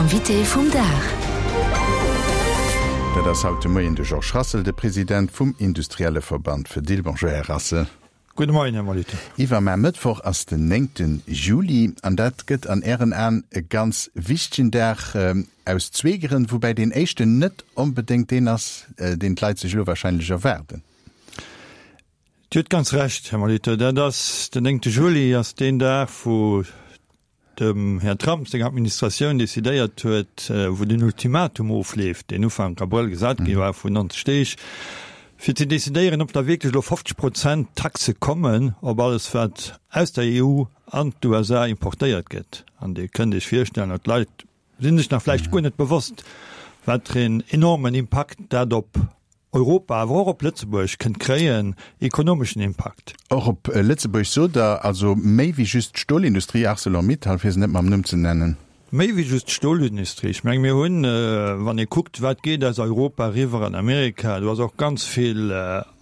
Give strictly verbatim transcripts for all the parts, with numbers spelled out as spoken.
Invité vum Dag. Dat ass haut de Moien de Georges Rassel, de President vum Industrielleverband Fedil. Bonjour, Här Rassel. Gudde Moien, Här Molitor. Iwwermar Mëttwoch ass den néngte Juli an dat gëtt an Ären Aen e ganz wichtegen Dag aus zwee Grënn, woubäi deen éischten net onbedéngt deen ass, deen d'Leit sech elo warscheinlech erwaarden. Dir hutt ganz Recht, Här Molitor. Dat ass, den néngte Juli ass deen Dag, wou dem Här Trump seng Administratioun decidéiert huet, wou den Ultimatum ofleeft, deen Ufank Abrëll gesat gi war, vun neunzeg Deeg, fir ze decidéieren, ob da wierklech elo fofzeg Prozent Taxe kommen op alles, wat aus der E U an d'U S A importéiert gëtt. An Dir kënnt Iech virstellen, oder d'Leit si sech nach vläicht guer net bewosst, wat fir een enormen Impakt dat op Europa, awer och op Lëtzebuerg kënnt kréien, ekonomeschen Impakt. Och op Lëtzebuerg, sot Der, also méi wéi just d'Stolindustrie, Arcelor-Mittal, fir se net mam Numm ze nennen. Méi wéi just d'Stolindustrie. Ech menge mir hunn, wann ee kuckt, wat geet aus Europa eriwwer an Amerika, do ass och ganz vill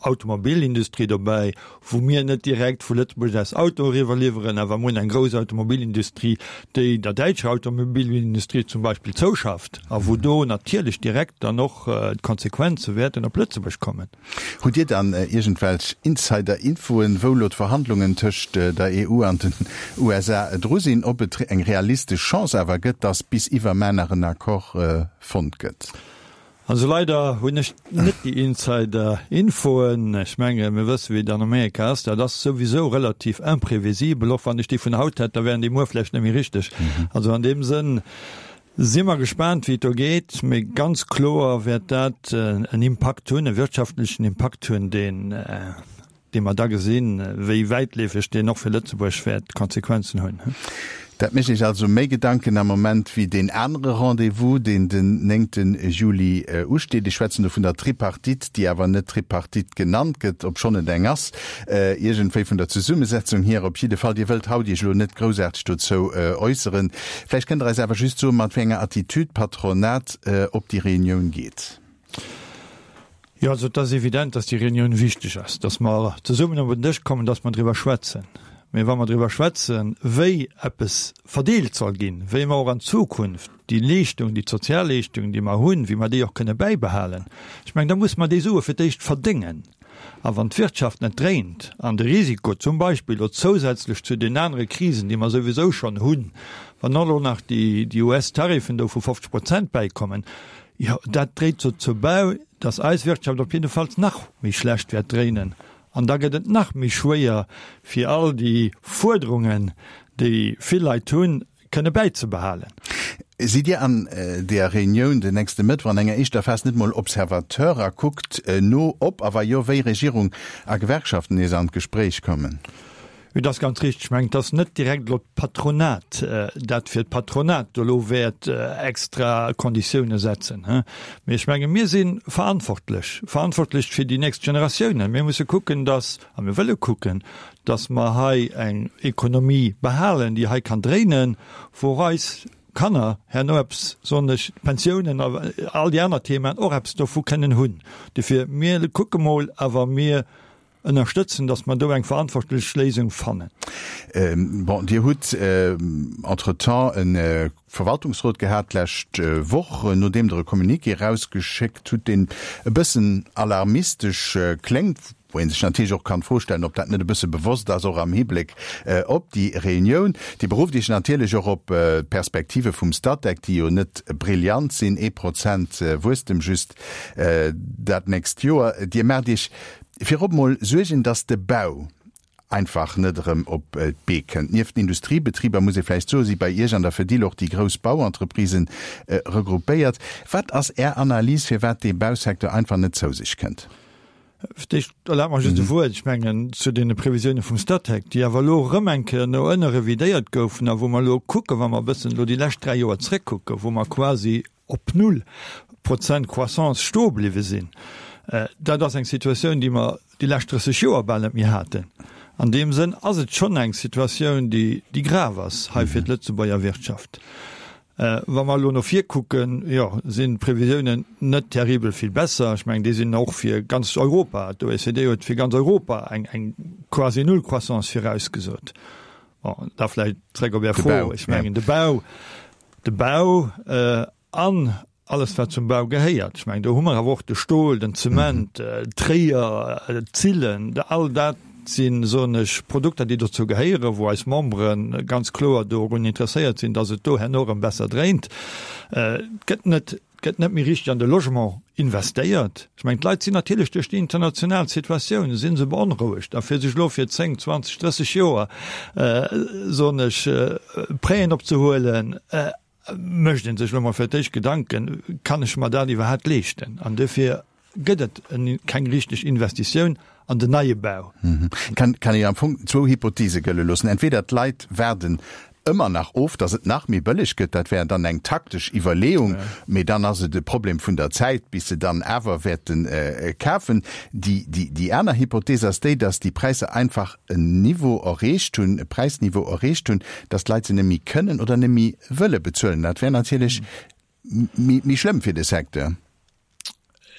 Automobilindustrie dobäi, wou mir net direkt vu Lëtzebuerg aus Autoe eriwwer liwweren, awer mir hunn eng grouss Automobilindustrie, déi der däitscher Automobilindustrie zum Beispill zouschafft a wou do natierlech direkt dann och d'Konsequenze wäerten op Lëtzebuerg kommen. Hutt Dir dann iergendwelch Insider-Infoen, wou elo d'Verhandlungen tëscht der E U an den U S A dru sinn, ob et eng realistesch Chance awer gëtt, datt bis iwwermuer nach en Accord fonnt gëtt? Also leider hunn ech net déi Insider-Infoen. Ech menge mir wësse wéi et an Amerika ass. Dat ass souwisou relativ imprévisibel. Och wann ech déi vun haut hätt, da wären déi muer vläicht net méi richteg. Also an deem Sënn si mer gespaant wéi et do geet. Mee ganz kloer wäert dat en Impakt hunn, e wirtschaftlechen Impakt hunn, deen, dee mer da gesinn, wéi wäitleefeg deen och fir Lëtzebuerg wäert Konsequenzen hunn. Dat mécht Iech also méi Gedanken am Moment wéi deen anere Rendez-vous, deen den néngte Juli usteet. Ech schwätzen do vun der Tripartite, déi awer net Tripartite genannt gëtt, obschonn et eng ass, iergendwéi vun der Zesummesetzung hier. Op jidde Fall, Dir wëllt haut Iech elo net groussaarteg dozou äusseren. Vläicht kënnt Der eis awer just soen, mat wéi enger Attitude d'Patronat op déi Reunioun geet. Jo, also et ass evident, dass déi Reunioun wichteg ass, dass mer zesummen op en Dësch kommen, dass mer driwwer schwätzen. Mee wa mer driwwer schwätzen, wéi eppes verdeelt soll ginn, wéi mer och an Zukunft déi Leeschtung, déi Sozialleeschtung, déi mer hunn, wéi mer déi och kënne bäibehalen, ech mengen, da musse mer déi Sue fir d'éischt verdéngen. A wann d'Wirtschaft net dréint an de Risiko zum Beispill elo zousätzlech zu den anere Krisen, déi mer souwisou schonn hunn, wann och elo nach déi U S-Tariffen do vu fofzeg Prozent bäikommen, jo, dat dréit dozou bäi, dass eis Wirtschaft op jiddefalls nach méi schlecht wäert dréinen. An da gëtt et nach méi schwéier, fir all déi Fuerderungen, déi vill Leit hunn, kënne bäizebehalen. Sidd Dir an där Reunioun den nächste Mëttwoch an enger éischter Phas net mol Observateur a kuckt no, ob a wa jo, wéi Regierung a Gewerkschaften nees an d'Gespréich kommen? Jo, dat ass ganz richteg. Ech mengen, et ass net direkt elo d'Patronat, dat fir d'Patronat do elo wäert extra Konditioune setzen. Mee ech menge mir si verantwortlech, verantwortlech fir déi nächst Generatiounen. Mir musse kucken, datt, a mir wëlle kucken, datt mer hei eng Ekonomie behalen, déi hei kann dréinen, wou och eis Kanner herno eppes, soen ech, d'Pensiounen a all déi aner Themaen, och eppes dovu kënnen hunn. Dofir, mir kucke mol, awer mir ënnerstëtzen, datt mer do eng verantwortlech Léisung fannen. Bon, Dir hutt entretemps e Verwaltungsrot gehat d'lescht Woch, nodeem Der e Communiqué erausgeschéckt hutt, deen e bëssen alarmistesch kléngt, wou ee sech natierlech och kann d'Fro stellen, ob dat net e bësse bewosst ass, och am Hibléck op déi Reunioun. Dir berufft Iech natierlech och op d'Perspektive vum Statec, déi jo net brillant sinn, ee Prozent Wuesstem just dat nächst Joer. Dir maacht Iech virop mol Suergen, datt de Bau einfach net erëm op d'Bee kënnt. Nieft den Industriebetriber, muss ee vläicht soen, si bei Iech an der Fedil och déi grouss Bauentreprisen regroupéiert. Wat ass Är Analys, firwat dee Bausecteur einfach net zou sech kënnt? Fir d'éischt erlaabt mer just e Wuert, ech mengen, zu deene Previsioune vum Statec, déi awer elo erëm eng Kéier no ënne revidéiert goufen a wou mer elo kucken, wa mer e bëssen elo déi lescht dräi Joer zréckkucken, wou mer quasi op null Prozent Croissance stoe bliwwe sinn. Dat ass eng Situatioun, déi mer déi lescht drësseg Joer bal net méi haten. An deem Sënn ass et schonn eng Situatioun, déi, déi grav ass hei fir d'Lëtzebuerger Wirtschaft. Wa mer elo no vir kucken, jo, sinn d'Previsiounen net terribel vill besser. Ech mengen, déi sinn och fir ganz Europa, d'O E C D huet fir ganz Europa eng, eng quasi Null-Croissance virausgesot. Bon, da vläicht zréck op Är Fro, ech mengen, de Bau, De Bau an alles wat zum Bau gehéiert. Ech mengen, do hu mer awer och de Stol, den Zement, d'Tréier, d'Zillen, all dat sinn, soen ech, Produkter, déi dozou gehéieren, wou eis Membere ganz kloer dorun interesséiert sinn, dass et do herno erëm besser dréint. Et gëtt net, et gëtt net méi richteg an de Logement investéiert. Ech mengen, d'Leit sinn natierlech duerch déi international Situatioun si se beonrouegt. A fir sech elo fir zéng, zwanzeg, drësseg Joer, soen ech, Prêten opzehuelen, mécht ee sech elo mol fir d'éischt Gedanken, Kann ech mer dat iwwerhaapt leeschten? An dofir gëtt et keng richteg Investitioun an den neie Bau. Kann een am Fong zwou Hypothese gëlle loossen, Entweder d'Leit waarden ëmmer nach of, datt et nach méi bëlleg gëtt, dat wär dann eng taktesch Iwwerleeung, mee dann ass et e Problem vun der Zäit, bis se dann awer wäerte kafen. Déi aner Hypothese ass déi, datt déi Präisser einfach en Niveau erreecht hunn, e Präisniveau erreecht hunn, datt d'Leit se net méi kënnen oder net méi wëlle bezuelen. Dat wär natierlech méi schlëmm fir de Secteur.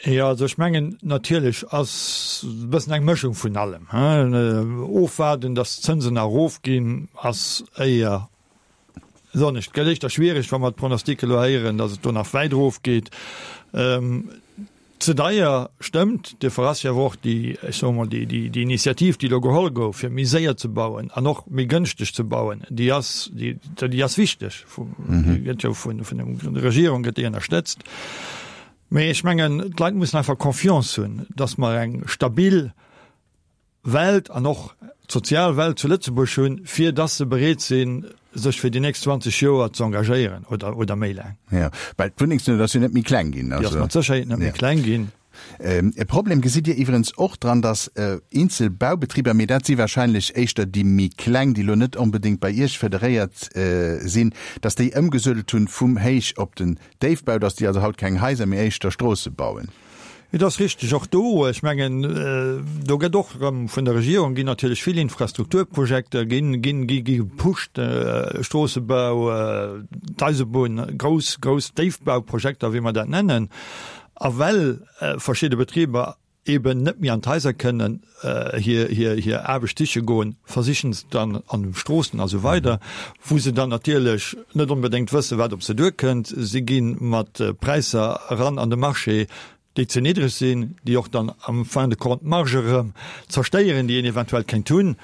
Jo, also ech mengen, natierlech ass e bëssen eng Mëschung vun allem. Ofwaarden, datt d'Zënsen erofginn, ass éier, soen ech, et gëtt éischter schwiereg, wa mer d'Pronostice elo héieren, datt et do nach wäit erofgeet. Ze deier, stëmmt. Duerfir ass jo awer och déi, ech soe mol, déi, déi Initiativ, déi elo geholl gouf, fir méi séier ze bauen an och méi gënschteg ze bauen, déi ass, déi, déi ass wichteg. Déi gëtt jo vun, vun der Regierung gëtt déi ënnerstëtzt. Mee ech mengen, d'Leit mussen einfach Confiance hunn, dass mer eng stabil Welt an och d'sozial Welt zu Lëtzebuerg hunn, fir dass se bereet sinn, sech fir déi nächst zwanzeg Joer ze engagéieren oder, oder méi laang. Jo, well d'Wunnengsnout ass jo net méi kleng ginn. Déi ass mat Sécherheet net méi kleng ginn. E Problem gesitt Dir iwwerens och dran, dass eenzel Baubetriber, mee dat si wahrscheinlech éischter déi méi kleng, déi elo net onbedéngt bei Iech federéiert sinn, dass déi ëmgesuedelt hunn vum Héich op den Déifbau, dass déi also haut keng Haiser, mee éischter Stroosse bauen. Et ass richteg, och do, ech mengen, do gëtt och erëm vun der Regierung ginn natierlech vill Infrastrukturprojekter ginn, ginn, gi gepusht, Stroossebau, d'Eisebunn, grouss, grouss Déifbauprojekter, wéi mer dat nennen. A well verschidde Betriber eben net méi an d'Haiser kënnen hir, hir, hir Aarbecht siche goen, versichen se dann an de Stroossen a sou weider, wou se dann natierlech net onbedéngt wëssen, wat op se duerkënnt. Si gi mat Präisser eran an de Marché, déi ze niddreg sinn, déi och dann am fin de compte d'Marge erëm zerstéieren, déi een eventuell kéint hunn.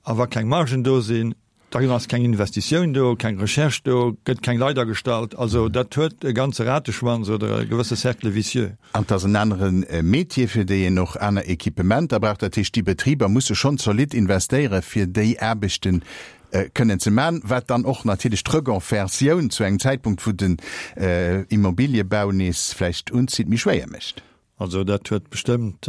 A wa keng Margen do sinn, Da ass keng Investitioun do, keng Recherche do, gëtt keng Leit agestallt. Also dat huet e ganze Rateschwanz oder e gewësse Cercle vicieux. An et ass en anere Métier, fir déi een och aner Equipementer brauch. Dat heescht, déi Betriber musse schonn zolidd investéieren, fir déi Aarbechte kënnen ze maachen, wat dann och natierlech d'Reconversioun zu engem Zäitpunkt, wou den Immobiliëbau nees vläicht unzitt, méi schwéier mécht. Also dat huet bestëmmt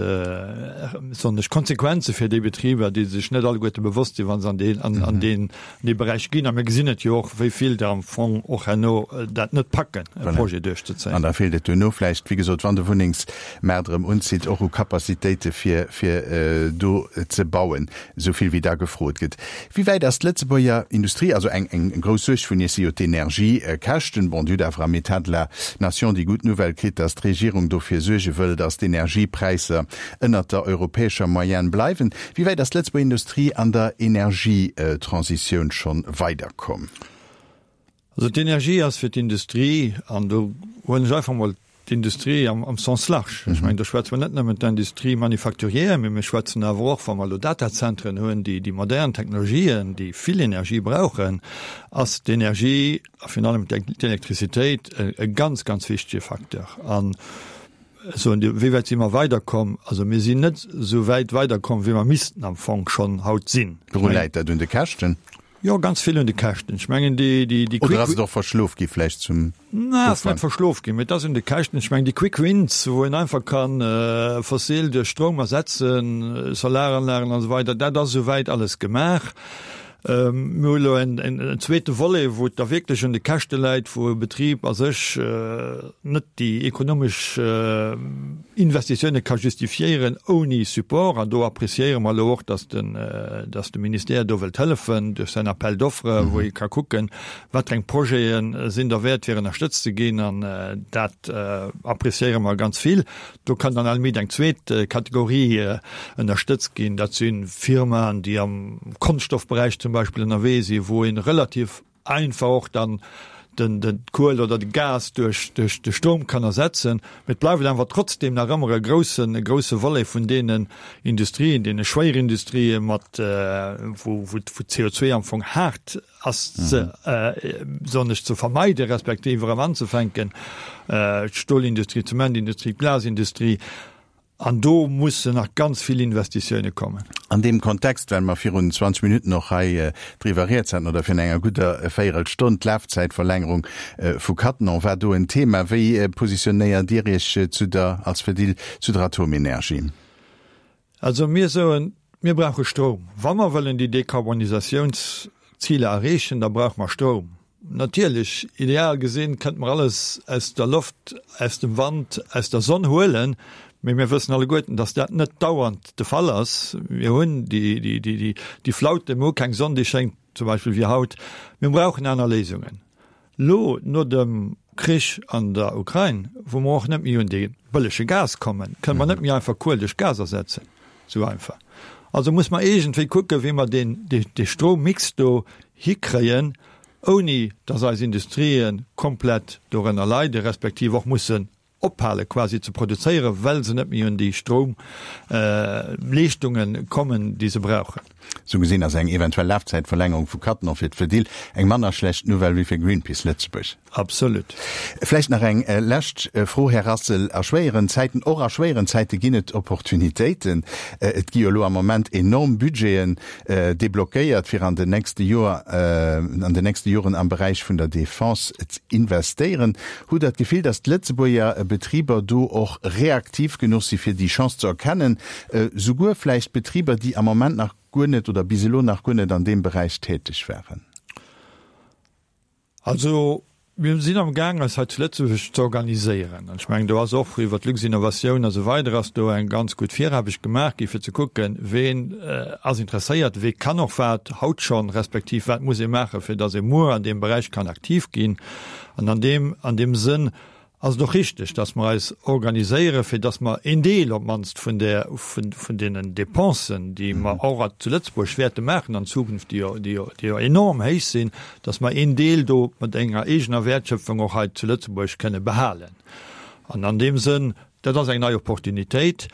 besonnesch Konsequenze fir déi Betriber, déi sech net alleguerte bewosst sinn, wa se an deen, an deen, dee Beräich ginn. A mir gesinn et jo och, wéi vill der am Fong och herno dat net packen, e Projet duerchzezéien. An da feelt et duerno vläicht, wéi gesot, wann de Wunnengsmaart erëm unzitt, och u Capacitéite fir, fir do ze bauen, esou vill wéi da gefrot gëtt. Wéi wäit ass d'Lëtzebuerger Industrie, also eng, eng grouss Suerg vun Iech si jo d'Energiekäschten, bon, Dir hutt awer am État de la Nation déi gutt Nouvelle kritt, datt d'Regierung dofir suerge wëll, datt d'Energiepräisser ënnert der europäescher Moyenne bleiwen. Wéi wäit ass d'Lëtzebuerger Industrie an der Energietransitioun schonn weiderkomm? Also d'Energie ass fir d'Industrie, an do huelen ech einfach emol d'Industrie am Sens large, ech mengen do schwätze mer net nëmmen d'Industrie manufacturière, mee mir schwätzen awer och, wa mer elo Datazentren hunn, déi déi modern Technologien, déi vill Energie brauchen, ass d'Energie a virun allem d'Elektrizitéit e ganz, ganz wichtege Facteur. An Soen Dir, wéi wäit si mer weiderkomm? Also mir sinn net esou wäit weiderkomm, wéi mer missten am Fong schonn haut sinn. Wouru läit dat? Un de Käschten? Jo, ganz vill un de Käschten. Ech mengen déi, déi, déi Oder ass et och verschlof gi vläicht zum Ufank? Na, ass net verschlof ginn, mee et ass un de Käschten. Ech mengen déi Quick Wins, wou een einfach ka fossil duerch Stroum ersetzen, Solaranlagen an esou weider, dat ass esou wäit alles gemaach. Mir hu elo en zweete Volet, wou et da wierklech un de Käschte läit, wou e Betrib a sech net déi ekonomesch Investitioune ka justifiéieren ouni Support. An do appréciéiere mer elo och, dass de Ministère do wëllt hëllefen duerch säin Appel d'offres, wou ee ka kucken, wat fir eng Projete sinn derwäert, fir ënnerstëtzt ze ginn. An dat appréciéiere mer ganz vill. Do kann dann à la limite eng zweet Kategorie ënnerstëtzt ginn, dat si Firmaen, déi am Konschtstoffberäich zum Beispill ënnerwee sinn, wou ee relativ einfach och dann den, den d'Kuel oder de Gas duerch, duerch de Stroum kann ersetzen. Mee et bleift awer trotzdem nach ëmmer e groussen, e grousse Volet vun deenen Industrien, deene Schwéierindustrië mat, wou, wou, wou C O zwee am Fong haart ass ze, soen ech, ze vermeiden, respektiv erëm anzefänken, d'Stolindustrie, d'Zementindustrie, d'Glasindustrie. An do mussen nach ganz vill Investitioune kommen. An deem Kontext, well mer virun zwanzeg Minutten och hei driwwer rieds haten, oder virun enger gudder Véierelstonn, d'Lafzäitverlängerung vu Cattenom war do en Thema. Wéi positionéiert Dir Iech zu der, als Fedil zu der Atomenergie? Also mir soen, mir brauche Stroum. Wa mer wëllen déi Dekarbonisatiounsziler erreechen, da brauche mer Stroum. Natierlech, ideal gesinn, kënnte mer alles aus der Loft, aus dem Wand, aus der Sonn huelen, mee mir wëssen alleguerten, dass dat net dauernd de Fall ass. Mir hunn déi Flauten, mir hu keng Sonn, déi schéngt, zum Beispill wéi haut. Mir brauchen aner Léisungen. Elo no dem Krich an der Ukrain, wou mer och net méi un dee bëllege Gas kommen, kënne mer net méi einfach Kuel duerch Gas ersetzen, esou einfach. Also muss mer iergendwéi kucken, wéi mer deen, dee Strommix do hikréien, ouni dass eis Industrië komplett dorënner leiden, respektiv och mussen ophale quasi ze produzéieren, well se net méi un déi Stroumleeschtungen kommen, déi se brauchen. Sou gesinn ass eng eventuell Lafzäitverlängerung vu Cattenom fir d'Fedil eng manner schlecht Nouvelle wéi fir Greenpeace Lëtzebuerg. Absolut. Vläicht nach eng lescht Fro, Här Rassel. A schwéieren Zäiten, och a schwéieren Zäite ginn et Opportunitéiten. Et gi jo elo am Moment enorm Budgeten deblockéiert, fir an den nächste Joer, an den nächste Joren am Beräich vun der Defense z'investéieren. Hutt Der d'Gefill, datt d'Lëtzebuerger Betriber do och reaktiv genuch si fir déi Chance ze erkennen, souguer vläicht Betriber, déi am Moment nach guer net oder bis elo nach guer net an deem Beräich täteg waren? Also mir sinn am Gaang eis hei zu Lëtzebuerg ze organiséieren. An ech mengen, do ass och iwwert d'Luxinnovation a sou weider ass do eng ganz gutt Viraarbecht gemaach gi fir ze kucken, ween ass interesséiert, wee kann och wat haut schonn, respektiv wat muss ee maachen, fir datt ee muer an deem Beräich kann aktiv ginn. An an deem, an deem Sënn ass et och richteg, dass mer eis organiséieren, fir dass mer een Deel op d'mannst vun där, vun, vun deenen Dépensen, déi mer och zu Lëtzebuerg wäerte maachen an Zukunft, déi jo, déi jo, déi jo enorm héich sinn, dass mer een Deel do mat enger eegener Wäertschöpfung och hei zu Lëtzebuerg kënne behalen. An an deem Sënn, dat ass eng nei Opportunitéit,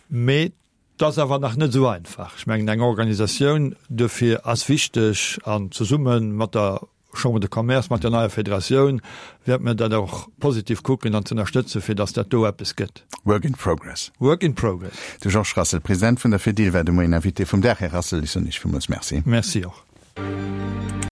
mee et ass awer nach net esou einfach. Ech mengen, eng Organisatioun duerfir ass wichteg an zesumme mat der Chambre de Commerce, mat der neier Federatioun wäerte mir dat och positiv kucken an z'ënnerstëtzen, fir datt dat do eppes gëtt. Work in progress. Work in progress. De Georges Rassel, President vun der Fedil, war de Moien Invité vum Dag. Här Rassel, ech soen Iech villmools Merci. Merci och.